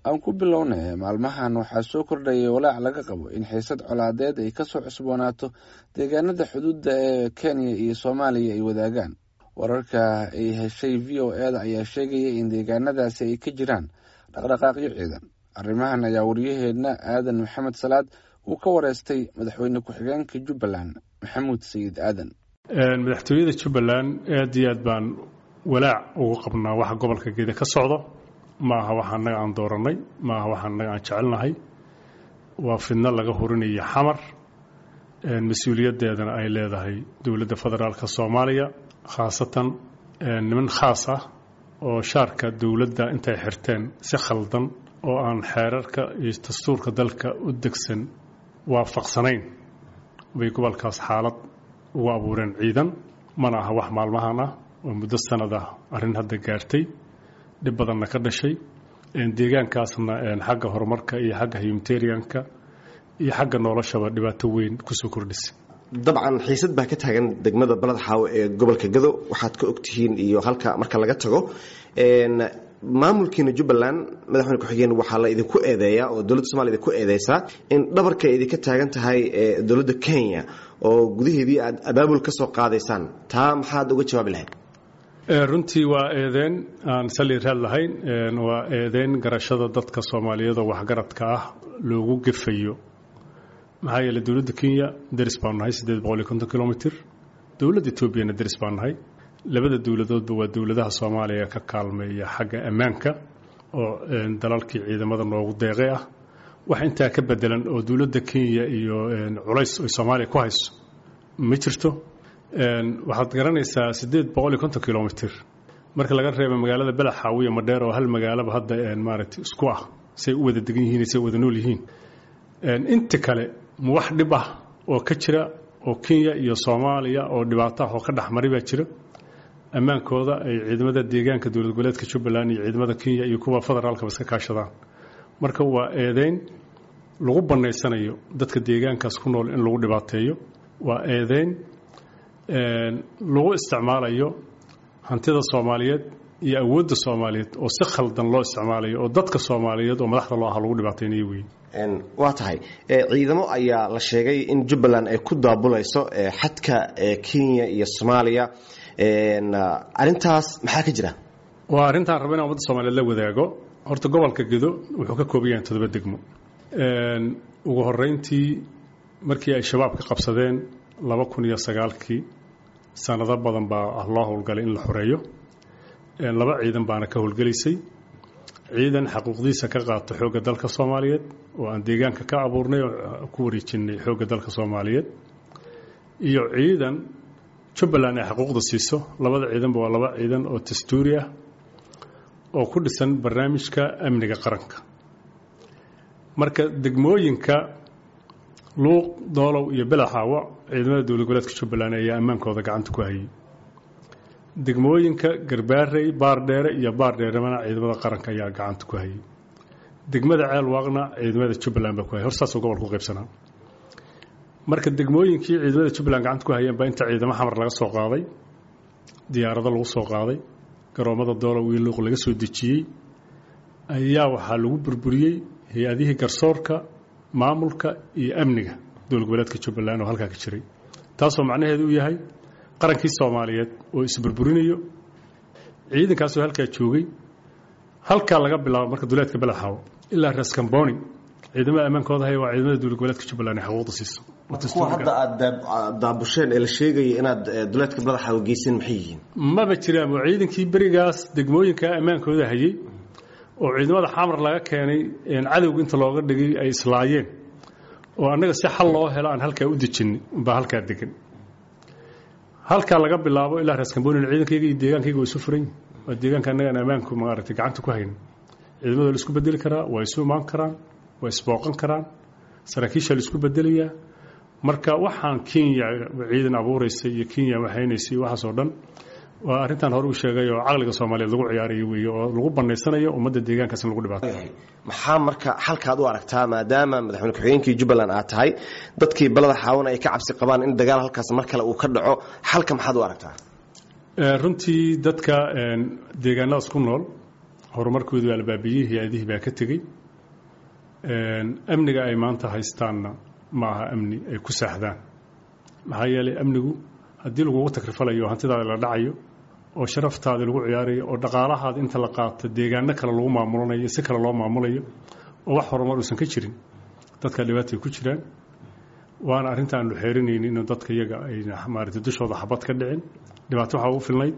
Aan ku bilownay, maalmahan waxaa soo kordhayay walaac laga qabo in xiisad colaadeed ay kasoo cusboonaato deegaanada xuduudda ee Kenya iyo Soomaaliya ay wadaagaan. Wararka ay heshay VOA-da ayaa sheegaya in deegaanadaasi ay ka jiraan dhaqdhaqaaqyo ciidan. Arrimahan ayaa waryaheedna Aadan Maxamed Salaad uu ka wareystay madaxweyne ku-xigeenka Jubbaland, Maxamuud Sayid Aadan. Madaxtooyada Jubbaland aad iyo aad baan walaac ugu qabnaa waxa gobolka Gedo ka socdo. Ma aha waxa annaga aan dooranay, ma aha waxa annaga aan jecelnahay. Waa fidno laga horinayo Xamar, mas-uuliyaddeedana ay leedahay dowladda federaalka Soomaaliya, khaasatan niman khaas ah oo shaarka dowladda intay xirteen si khaldan oo aan xeerarka iyo dastuurka dalka u degsan waafaqsanayn bay gobolkaas xaalad ugu abuureen ciidan. Mana aha wax maalmahan ah oo muddo sanad ah arrin hadda gaartay, dhib badanna ka dhashay deegaankaasna, xagga horumarka iyo xagga humanitarianka iyo xagga noloshaba dhibaato weyn kusoo kordhisay. Dabcan xiisad baa ka taagan degmada Balad Xaawo ee gobolka Gado, waxaad ka ogtihiin iyo halka marka laga tago maamulkiina Jubbaland, madaxweyne ku-xigeen, waxaa la idinku eedeeyaa oo dowladda Somalia idinku eedeysaa in dhabarka idinka taagan tahay dowladda Kenya oo gudaheedii aad abaabul ka soo qaadaysaan. Taa maxaad uga jawaabi lahayd? Runtii waa eedeyn aan sali raad lahayn, waa eedeyn garashada dadka Soomaaliyeed oo waxgaradka ah loogu gefayo. Maxaa yeeley, dowladda Kenya deris baanu nahay, 850 kilomitr. Dowladda Etoobiyana deris baan nahay. Labada dowladoodba waa dowladaha Soomaaliya ka kaalmeeya xagga ammaanka oo dalalkii ciidamada noogu deeqay ah. Wax intaa ka bedelan oo dowladda Kenya iyo culays ay Soomaaliya ku hayso ma jirto. Waxaad garanaysaa, 850 kilomitr marka laga reebo magaalada Belaxaawi iyo Madheer oo hal magaalaba hadda maaragtay isku ah, say u wada degan yihiin, say u wada nool yihiin, inta kale ma wax dhib ah oo ka jira oo Kenya iyo Soomaaliya oo dhibaato ah oo ka dhexmaray baa jira? Ammaankooda ay ciidamada deegaanka dowlad goboleedka Jubbaland iyo ciidamada Kenya iyo kuwa federaalkaba iska kaashadaan. Marka waa eedeyn lagu bannaysanayo dadka deegaankaas ku nool in lagu dhibaateeyo, waa eedeyn lagu isticmaalayo hantida Soomaaliyeed iyo awoodda Soomaaliyeed oo si khaldan loo isticmaalayo oo dadka Soomaaliyeed oo madaxda loo aha lagu dhibaateynayo wey. Waa tahay, ciidamo ayaa la sheegay in Jubbaland ay ku daabulayso xadka Kenya iyo Soomaaliya. Arrintaas maxaa ka jira? Waa arrintaan raba inaan ummadda Soomaaliyeed la wadaago. Horta gobolka Gedo wuxuu ka kooban yahay 7 degmo. Ugu horeyntii, markii ay Shabaab ka qabsadeen 2009-kii, sanado badan baa loo howlgalay in la xoreeyo. Laba ciidan baana ka howlgelaysay: ciidan xaquuqdiisa ka qaata xoogga dalka Soomaaliyeed oo aan deegaanka ka abuurnay oo ku wareejinay xoogga dalka Soomaaliyeed, iyo ciidan Jubbaland ay xaquuqda siiso. Labada ciidanba waa laba ciidan oo dastuuri ah oo ku dhisan barnaamijka amniga qaranka. Marka degmooyinka Luuq, Doolow iyo Belaxaawo ciidamada dowlad goboleedka Jubbaland ayaa ammaankooda gacanta ku hayay. Degmooyinka Garbaarey, Baardheere iyo Baardheeremana ciidamada qaranka ayaa gacanta ku hayay. Degmada Ceelwaaqna ciidamada Jubbaland baa ku hayay. Horsaasoo gobolka u qaybsanaa. Marka degmooyinkii ciidamada Jubbaland gacanta ku hayeen baa inta ciidamo Xamar laga soo qaaday, diyaarado lagu soo qaaday, garoomada Doolow iyo Luuq laga soo dejiyey, ayaa waxaa lagu burburiyey hay-adihii garsoorka, maamulka iyo amniga dowlad goboleedka Jubbaland oo halkaa ka jiray, taasoo macnaheedu uu yahay qarankii Soomaaliyeed oo isburburinayo ciidankaasoo halkaa joogay. Halkaa laga bilaabo marka duleedka Belaxaawo ilaa Raskamboni ciidamada ammaankooda haya waa ciidamada dowlad goboleedka Jubbaland ay xaquuqda siiso. Kuwa hadda aad daabusheen ee la sheegaya inaad duleedka Badaxaawo geyseen maxay yihiin? Maba jiraan. Oo ciidankii berigaas degmooyinka ammaankooda hayay oo ciidamada Xamar laga keenay, cadowga inta looga dhigay ay islaayeen oo annaga si xal loo helo aan halkaa u dejinay baa halkaa degan. Halkaa laga bilaabo ilaa Raskamboni ciidankayga iyo deegaankayga waa isu furan yihin. Waa deegaanka annagaan ammaanku maaragtay gacanta ku hayno. Ciidamada la isku bedeli karaa, waa isu imaan karaan, waa isbooqan karaan, saraakiisha la isku bedelayaa. Marka waxaan Kenya ciidan abuuraysa iyo Kenya waxaynaysa iyo waxaas oo dhan waa arrintan hore u sheegay oo caqliga Soomaaliyeed lagu ciyaarayo weeye oo lagu banaysanayo ummadda deegaankaas in lagu dhibaato. Maxaa marka xalkaad u aragtaa, maadaama madaxweyne ku-xigeenkii Jubbaland aad tahay, dadkii Balada Xaawana ay ka cabsi qabaan in dagaal halkaas mar kale uu ka dhaco? Xalka maxaad u aragtaa? Runtii dadka deegaanadaas ku nool Horumarkoodii baa la baabiyey, hay-adihii baa ka tegey. Amniga ay maanta haystaanna ma aha amni ay ku saaxdaan, maxaa yeelay amnigu haddii lagugu takrifalayo, hantidaada la dhacayo oo sharaftaada lagu ciyaarayo oo dhaqaalahaada inta la qaato deegaano kale lagu maamulanayo, si kale loo maamulayo oo wax horumar uusan ka jirin, dadka dhibaatay ku jiraan. Waana arrinta aanu xeerinaynin inuu dadka iyaga ay maaragtay dushooda xabad ka dhicin. Dhibaato waxaa ugu filnayd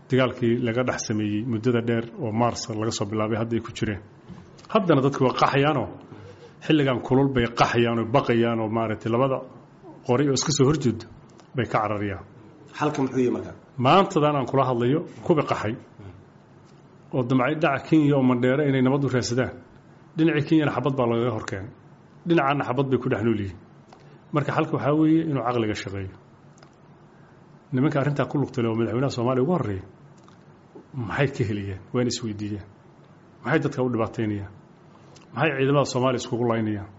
dagaalkii laga dhex sameeyey muddada dheer oo Maars laga soo bilaabay hadda ay ku jireen. Haddana dadku waa qaxayaanoo xilligan kulul bay qaxayaan oo baqayaan oo maaragtay labada qori oo iska soo horjeedo bay ka cararayaan. Xalka muxuu yahay marka? Maantadan aan kula hadlayo kubi qaxay oo damcay dhaca Kenya oo Mandheere inay nabad u raadsadaan, dhinacii Kenyana xabad baa lagaga horkeenay, dhinacaana xabad bay ku dhex nool yihiin. Marka xalka waxaa weeye inuu caqliga shaqeeyo. Nimanka arrintaa ku lugtale oo madaxweynaha Soomaaliya ugu horreeya maxay ka helayaan? Waa in isweydiiyaan. Maxay dadka u dhibaataynayaan? Maxay ciidamada Soomaaliya iskugu laynayaan?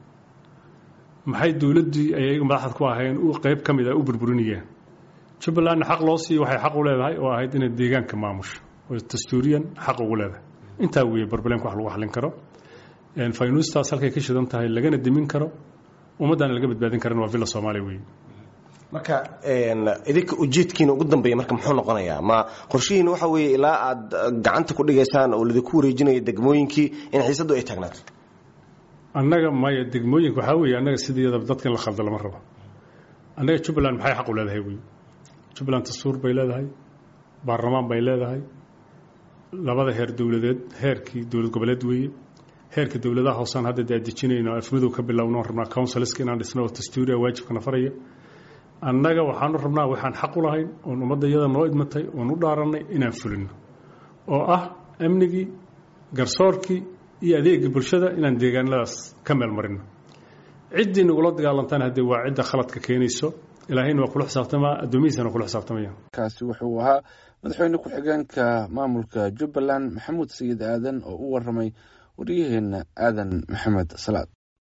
Maxay dowladdii ay ayaga madaxda ku ahayn u qayb ka mid a u burburinayaan? Jubbalandna xaq loo siiyo waxay xaq u leedahay oo ahayd inay deegaanka maamusho oo dastuuriyan xaq ugu leedahay. Intaa weeye barbaleenka wax lagu xallin karo. Faynuustaas halkay ka shidan tahay lagana dimin karo, ummaddaana laga badbaadin karan waa Villa Soomaaliya weeye. Marka idinka ujeedkiina ugu dambeeya marka muxuu noqonayaa? Ma qorshihiina waxa weeye ilaa aad gacanta ku dhigaysaan oo lidinku wareejinayo degmooyinkii in xiisaddu ay taagnaato? Annaga maya, degmooyinka waxaa weeye annaga sideedaba dadka in la khaldo lama rabo. Annaga Jubbaland maxay xaq u leedahay wey? Jubbaland dastuur bay leedahay, baarlamaan bay leedahay, labada heer dowladeed, heerkii dowlad goboleed weeye, heerka dowladaha hoosaan hadda daadejinayno, afmadow ka bilowno, rabnaa councilska inaan dhisno oo dastuuriya waajibkana faraya. Annaga waxaanu rabnaa waxaan xaq u lahayn oon ummadda iyada noo idmatay oon u dhaarannay inaan fulino, oo ah amnigii, garsoorkii iyo adeegii bulshada inaan deegaanadaas ka meel marino. Ciddii nagula dagaalantaan haddee waa cidda khaladka keenayso. Ilaahayna waa kula xisaabtamaa, addoomihiisana waa kula xisaabtamaya. Kaasi wuxuu ahaa madaxweyne ku-xigeenka maamulka Jubbaland Maxamuud Sayid Aadan oo u waramay waryaheena Aadan Maxamed Salaad.